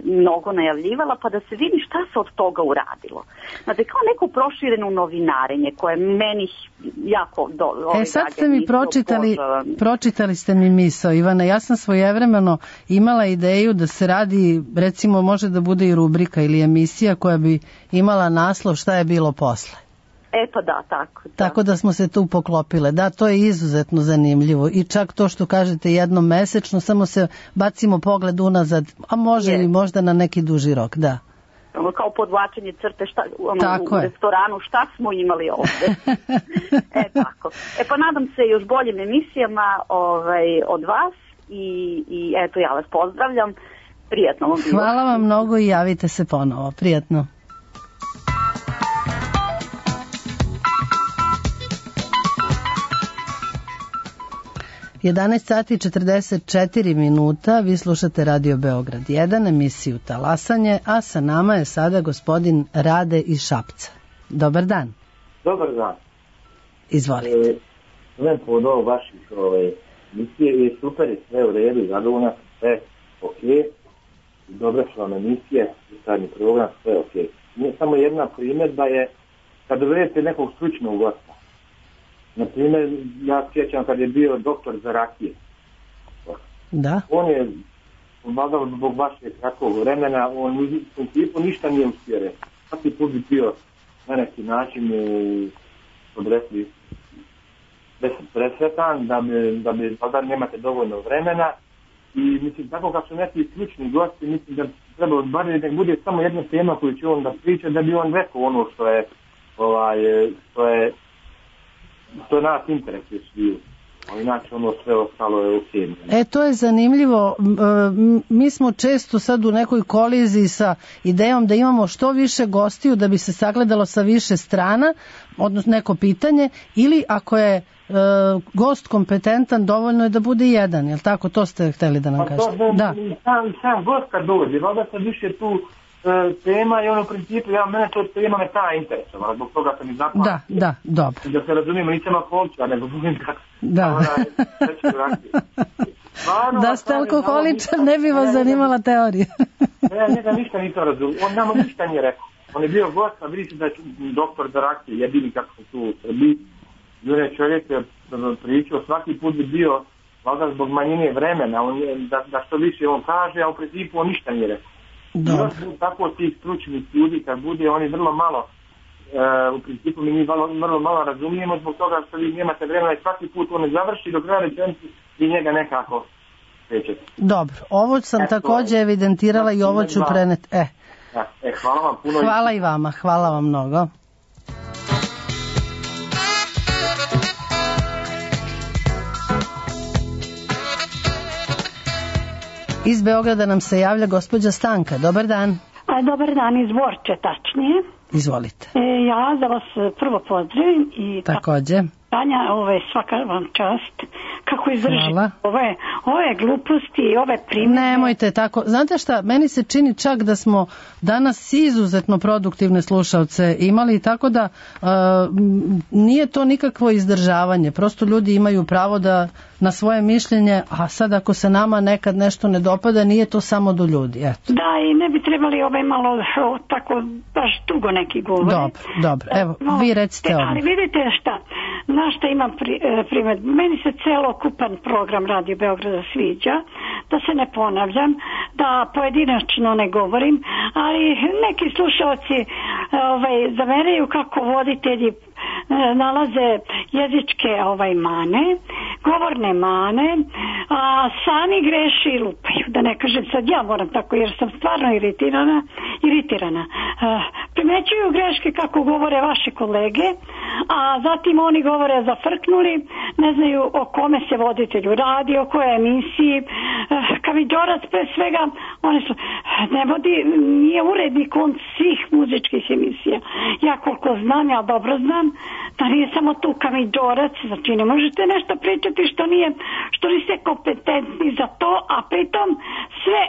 mnogo najavljivala, pa da se vidi šta se od toga uradilo. Znate, kao neko prošireno novinarenje koje meni jako sad ste mi pročitali ste mi misao, Ivana. Ja sam svojevremeno imala ideju da se radi, recimo može da bude i rubrika ili emisija koja bi imala naslov šta je bilo posle. Pa da, tako. Tako da smo se tu poklopile. Da, to je izuzetno zanimljivo. I čak to što kažete jednom mesečno, samo se bacimo pogled unazad, a može i možda na neki duži rok, da. Kao podvlačenje crte u restoranu, šta smo imali ovdje. Tako. Pa nadam se još boljim emisijama od vas i eto, ja vas pozdravljam. Prijatno vam bilo. Hvala vam mnogo i javite se ponovo. Prijatno. 11 sati i 44 minuta, vi slušate Radio Beograd 1, emisiju Talasanje, a sa nama je sada gospodin Rade iz Šapca. Dobar dan. Dobar dan. Izvolite. Sve pod ovo vaših emisije je super i sve u redu, zadovoljna, sve ok. Dobre su vam emisije, ustavni program, sve ok. Nije samo jedna primjedba je kad dovedete nekog stručnog gosta. Naprimjer, ja sjećam kad je bio doktor za rakije. Da. On je, valjda zbog vašeg kratkog vremena, on u principu ništa nije uspio reći. Svaki put bi bio na neki način odrekli presretan, da bi valjda nemate dovoljno vremena. I mislim, tako kad su neki stručni gosti, mislim da treba bar da bude samo jedna tema koju će on da priča, da bi on rekao ono što je nas interesuje svi. Ali inače ono sve ostalo je ok. To je zanimljivo. Mi smo često sad u nekoj koliziji sa idejom da imamo što više gostiju da bi se sagledalo sa više strana, odnosno neko pitanje, ili ako je gost kompetentan, dovoljno je da bude jedan, jel tako? To ste hteli da nam kažete. Da. Sam gost kad dođe, valjda sad više tu tema i ono u principu, mene to tema me ta interesovala, zbog toga sam i zapao. Da, dobro. Da se razumijemo, nisam alkoholičar, nego budem kako. Da. Da ste alkoholičar, ne bi vas zanimala teorija. Ja njega ništa nisam razumio, on nama ništa nije rekao. On je bio gost, a vidite da je doktor za rakije, jedini kako se tu Srbi. I on je čovjek je pričao, svaki put bi bio, valjda zbog manjine vremena, da što više on kaže, a u principu on ništa nije rekao. Još tako tih stručnih ljudi kad bude, oni vrlo malo, u principu mi vrlo malo razumijemo zbog toga što vi nemate vremena i svaki put on ne završi do kraja rečenice i njega nekako svećete. Dobro, ovo sam također evidentirala i ovo ću preneti. Hvala vam puno. Hvala i vama, hvala vam mnogo. Iz Beograda nam se javlja gospođa Stanka. Dobar dan. Dobar dan, iz Borče tačnije. Izvolite. Ja da vas prvo pozdravim i također. Tanja, svaka vam čast. Kako izdržite ove gluposti i ove primjere. Nemojte tako. Znate šta, meni se čini čak da smo danas izuzetno produktivne slušalce imali, tako da nije to nikakvo izdržavanje. Prosto ljudi imaju pravo da na svoje mišljenje, a sad ako se nama nekad nešto ne dopada, nije to samo do ljudi. Eto. Da, i ne bi trebali malo tako baš dugo neki govori. Dobro. Evo, vi recite ovo. Ali vidite šta, na šta imam primjer. Meni se celokupan program Radio Beograda sviđa, da se ne ponavljam, da pojedinačno ne govorim, ali neki slušalci zameraju kako voditelji nalaze jezičke mane, govorne mane, a sami greše i lupaju. Da ne kažem sad ja moram tako jer sam stvarno iritirana. Primećuju greške kako govore vaše kolege, a zatim oni govore zafrknuli, ne znaju o kome se voditelju radi, o kojoj emisiji. Kamidžorac pre svega, oni su, nije urednik on svih muzičkih emisija. Ja koliko znam, ja dobro znam, da nije samo tu kamidžorac, znači ne možete nešto pričati što niste kompetentni za to, a pritom sve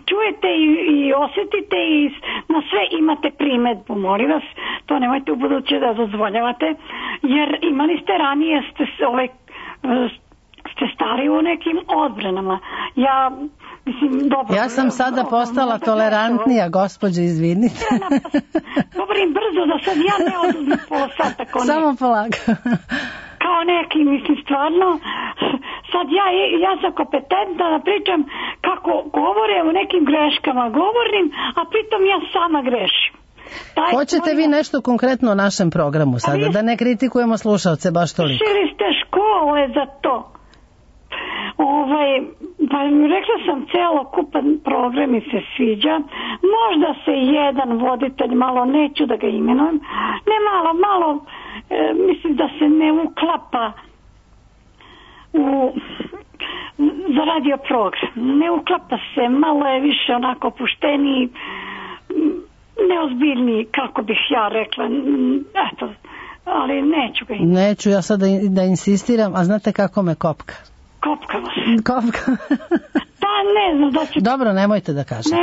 čujete i osjetite i na sve imate primedbu, molim vas, to nemojte u buduće da dozvoljavate, jer imali ste ranije, ste stari u nekim odbranama. Ja sam sada postala tolerantnija, gospođo, izvinite. Govorim brzo da sad ja ne oduzmem pola sata. Samo polako. Kao neki, stvarno, sad ja sam kompetentna da pričam kako govore o nekim greškama govornim, a pritom ja sama grešim. Hoćete vi nešto konkretno o našem programu sada, da ne kritikujemo slušalce baš toliko? Šili ste škole za to. Pa rekla sam, celokupan program mi se sviđa, možda se jedan voditelj, malo neću da ga imenujem, ne malo, mislim da se ne uklapa za radio program, ne uklapa se, malo je više onako opušteniji, neozbiljniji, kako bih ja rekla, eto, ali neću ga imenujem. Neću ja sad da insistiram, a znate kako me kopka? Kopkalo se. Pa ne znam da će... Dobro, nemojte da kažete.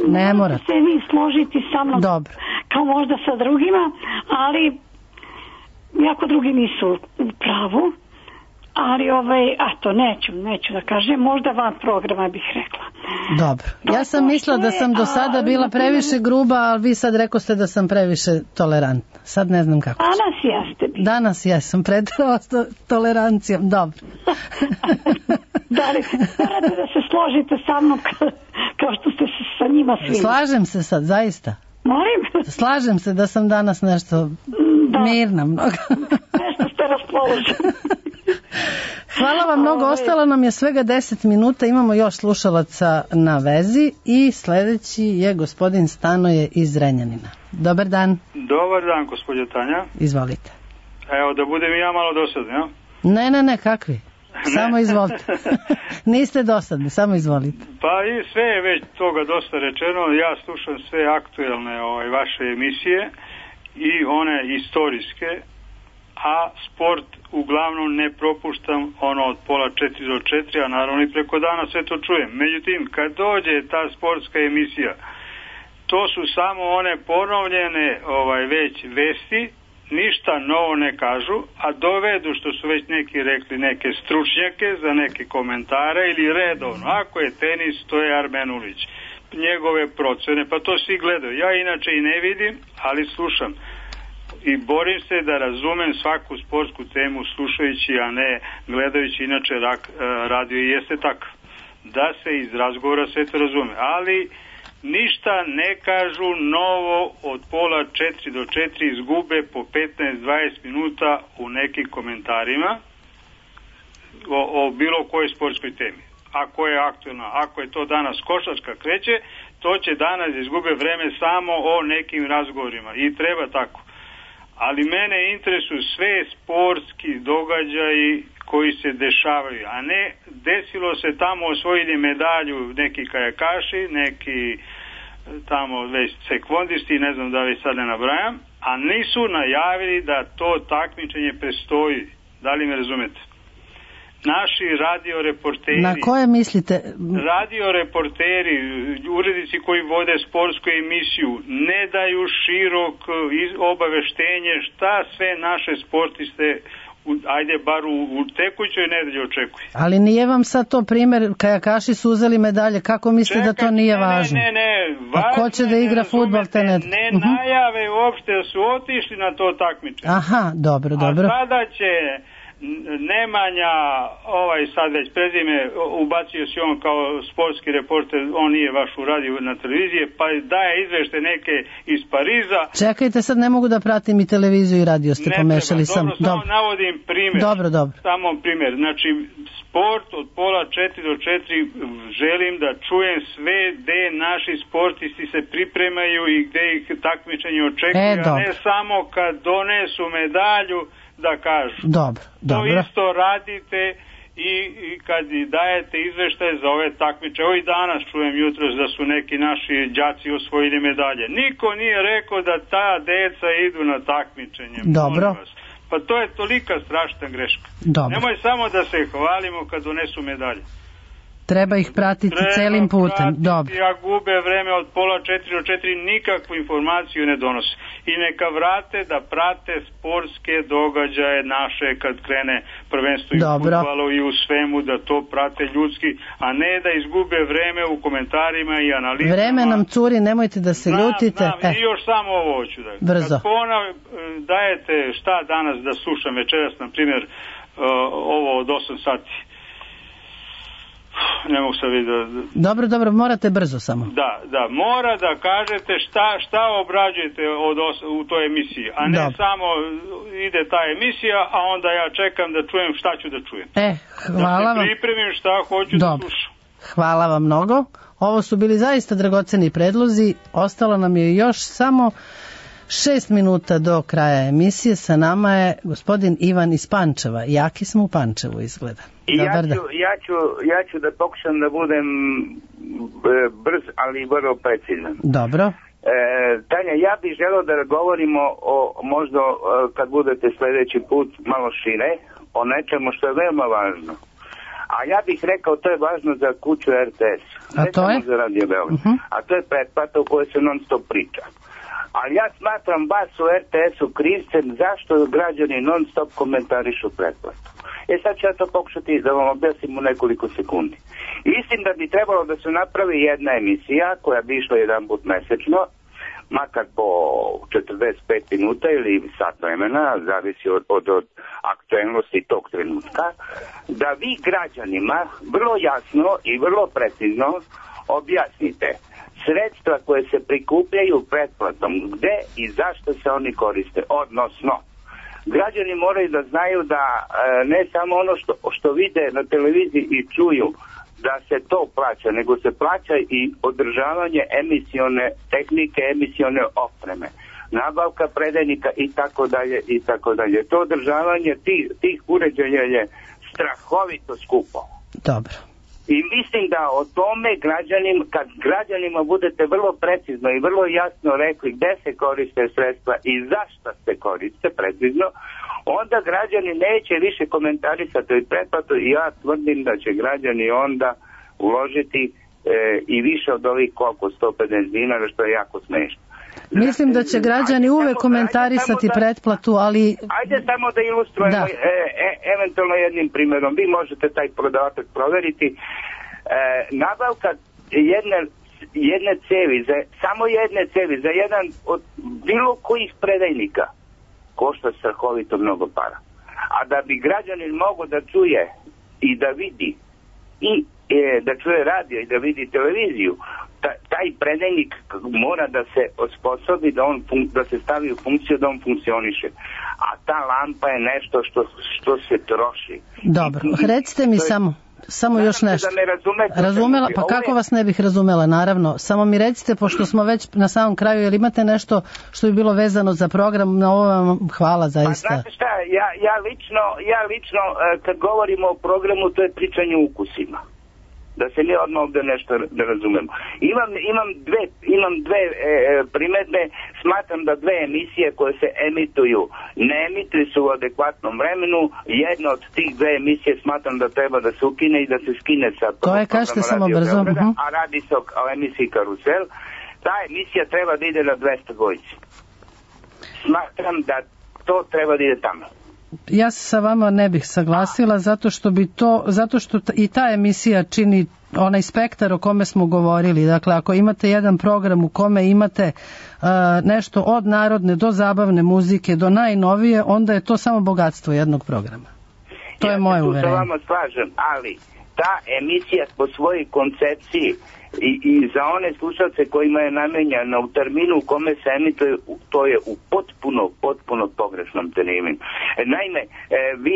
Ne morate se vi složiti sa mnom. Dobro. Kao možda sa drugima, ali jako drugi nisu u pravu. Ali neću da kažem, možda van programa bih rekla. Dobro. Ja sam mislila da sam do sada bila previše gruba, ali vi sad rekoste da sam previše tolerantna. Sad ne znam kako. Danas jesam preterala s tolerancijom. Dobro. Da li morate da se složite sa mnom kao što ste se sa njima svi? Slažem se sad, zaista. Molim? Slažem se da sam danas nešto mirna mnogo. Nešto ste raspoloženi. Hvala vam mnogo, ostalo nam je svega 10 minuta, imamo još slušalaca na vezi i sljedeći je gospodin Stanoje iz Renjanina. Dobar dan. Dobar dan, gospođo Tanja. Izvolite. Evo, da budem i ja malo dosadni, ja? Ne, kakvi? Samo izvolite. Niste dosadni, samo izvolite. Pa i sve je već toga dosta rečeno, ja slušam sve aktuelne vaše emisije i one istorijske, a sport uglavnom ne propuštam od pola 4 do 4, a naravno i preko dana sve to čujem. Međutim, kad dođe ta sportska emisija, to su samo one ponovljene već vesti, ništa novo ne kažu, a dovedu, što su već neki rekli, neke stručnjake za neke komentare ili redovno. Ako je tenis, to je Armenulić. Njegove procene, pa to svi gledaju. Ja inače i ne vidim, ali slušam. I borim se da razumem svaku sportsku temu slušajući, a ne gledajući, inače radio i jeste tako. Da se iz razgovora sve to razume. Ali ništa ne kažu novo od pola 4 do 4, izgube po 15-20 minuta u nekim komentarima o bilo kojoj sportskoj temi. Ako je aktualna, ako je to danas košarka kreće, to će danas izgube vreme samo o nekim razgovorima i treba tako. Ali mene interesuju sve sportski događaji koji se dešavaju, a ne desilo se tamo osvojili medalju neki kajakaši, neki tamo već sekvondisti, ne znam da li sad ne nabrajam, a nisu najavili da to takmičenje prestoji. Da li me razumete? Naši radioreporteri... Na koje mislite? Radioreporteri, urednici koji vode sportsku emisiju, ne daju širok obaveštenje šta sve naše sportiste, ajde bar u tekućoj nedelji očekuje. Ali nije vam sad to primjer, kajakaši su uzeli medalje, kako mislite da to nije važno? Ne, a ko će da igra fudbal te nedelje? Ne najave uopšte da su otišli na to takmičenje. Aha, dobro. A sada će Nemanja, sad već prezime, ubacio si on kao sportski reporter, on nije baš uradio na televizije, pa daje izvešte neke iz Pariza. Čekajte, sad ne mogu da pratim i televiziju i radio, ste pomešali sam. Samo navodim primjer. Dobro. Samo primjer, znači sport od pola 4 do 4 želim da čujem sve gde naši sportisti se pripremaju i gde ih takmičenje očekuje, a ne samo kad donesu medalju da kažu. Dobro. To isto radite i kad dajete izveštaje za ove takmiče. Ovo i danas čujem jutros da su neki naši đaci osvojili medalje. Niko nije rekao da ta deca idu na takmičenje. Dobro. Pa to je tolika strašna greška. Dobro. Nemoj samo da se hvalimo kad donesu medalje. Treba ih pratiti celim putem. Dobro. Ja gube vreme od pola 4 do 4, nikakvu informaciju ne donose. I neka vrate da prate sportske događaje naše kad krene prvenstvo i u fudbalu i u svemu, da to prate ljudski, a ne da izgube vreme u komentarima i analizama. Vreme nam curi, nemojte da se ljutite. I još samo ovo hoću da... Brzo. Kad dajete šta danas da slušam večeras, na primjer, ovo od 8 sati. Ne mogu sad vidjeti. Dobro, morate brzo samo. Da, mora da kažete šta obrađujete u toj emisiji, a ne samo ide ta emisija, a onda ja čekam da čujem šta ću da čujem. Hvala vam. Da se pripremim šta hoću da slušam. Hvala vam mnogo. Ovo su bili zaista dragoceni predlozi. Ostalo nam je još samo 6 minuta do kraja emisije. Sa nama je gospodin Ivan iz Pančeva. Jaki smo u Pančevu, izgleda. Ja ću da pokušam da budem brz, ali vrlo precizan. Dobro. Tanja, ja bih želeo da govorimo možda kad budete sljedeći put malo šire, o nečemu što je veoma važno. A ja bih rekao, to je važno za kuću RTS. A to je? Za Radio Beograd. A to je pretplata u kojoj se non stop priča. Ali ja smatram vas u RTS-u krivcem zašto građani non stop komentarišu pretplatu. Sad ću ja to pokušati da vam objasnim u nekoliko sekundi. Mislim da bi trebalo da se napravi jedna emisija koja bi išla jedan put mesečno, makar po 45 minuta ili sat vremena, zavisi od aktualnosti tog trenutka, da vi građanima vrlo jasno i vrlo precizno objasnite sredstva koje se prikupljaju pretplatom, gde i zašto se oni koriste, odnosno građani moraju da znaju da ne samo ono što vide na televiziji i čuju da se to plaća, nego se plaća i održavanje emisione tehnike, emisione opreme, nabavka predajnika i tako dalje i tako dalje. To održavanje tih uređaja je strahovito skupo. Dobro. I mislim da o tome kad građanima budete vrlo precizno i vrlo jasno rekli gde se koriste sredstva i zašto se koriste precizno, onda građani neće više komentarisati pretplatu i ja tvrdim da će građani onda uložiti i više od ovih 150 dinara, što je jako smešno. Mislim da će građani uvek komentarisati pretplatu, ali... Ajde samo da ilustrujemo eventualno jednim primjerom. Vi možete taj prodavatak proveriti. Nabavka jedne cevi, samo jedne cevi, za jedan od bilo kojih predajnika košta strahovito mnogo para. A da bi građanin mogao da čuje i da vidi i da čuje radio i da vidi televiziju, taj predajnik mora da se osposobi da se stavi u funkciju da on funkcioniše. A ta lampa je nešto što se troši. Dobro, recite mi samo još nešto. Razumela, pa kako vas ne bih razumela, naravno. Samo mi recite, pošto smo već na samom kraju, jer imate nešto što bi bilo vezano za program, na ovo vam hvala zaista. Pa znate šta, ja lično kad govorimo o programu, to je pričanje o ukusima. Da se mi odmah ovdje nešto da razumemo. Imam dve primjedbe. Smatram da dve emisije koje se emituju ne emituju se u adekvatnom vremenu. Jedna od tih dve emisije smatram da treba da se ukine i da se skine sa to je, kažete samo brzo. A radi se o emisiji Karusel. Ta emisija treba da ide na 200 dvojici. Smatram da to treba da ide tamo. Ja se sa vama ne bih saglasila zato što i ta emisija čini onaj spektar o kome smo govorili. Dakle, ako imate jedan program u kome imate nešto od narodne do zabavne muzike do najnovije, onda je to samo bogatstvo jednog programa. To je moje uverenje. Ja se tu sa vama slažem, ali ta emisija po svojoj koncepciji i za one slušalce kojima je namenjena u terminu u kome se emituje, to je u potpuno pogrešnom terminu. Naime, vi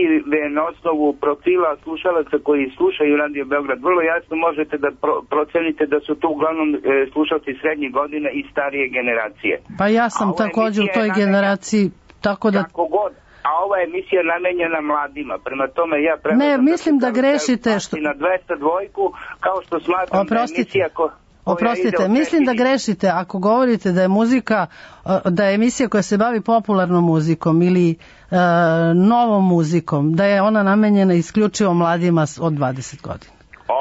na osnovu profila slušalaca koji slušaju Radio Beograd vrlo jasno možete da procenite da su to uglavnom slušalci srednjih godina i starije generacije. Pa ja sam također u toj generaciji, tako da... Kako god. A ova emisija je namenjena mladima. Prema tome ja mislim da grešite na 200 dvojku, kao što smatram da je emisija Oprostite, mislim da grešite ako govorite da je muzika, da je emisija koja se bavi popularnom muzikom ili novom muzikom, da je ona namenjena isključivo mladima od 20 godina.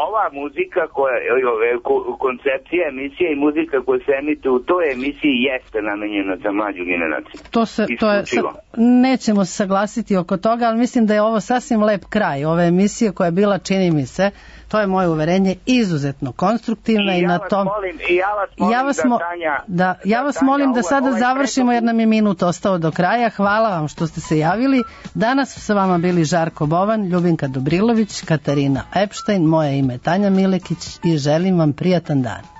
Ova muzika, koncepcija emisije i muzika koja se emituje u toj emisiji jeste namenjena za mlađu generaciju. Nećemo se saglasiti oko toga, ali mislim da je ovo sasvim lep kraj ove emisije koja je bila, čini mi se, to je moje uverenje, izuzetno konstruktivna i na tom... Ja vas molim da sada završimo jer nam je minut ostao do kraja. Hvala vam što ste se javili. Danas su sa vama bili Žarko Bovan, Ljubinka Dobrilović, Katarina Epštajn, moje ime Tanja Milekić i želim vam prijatan dan.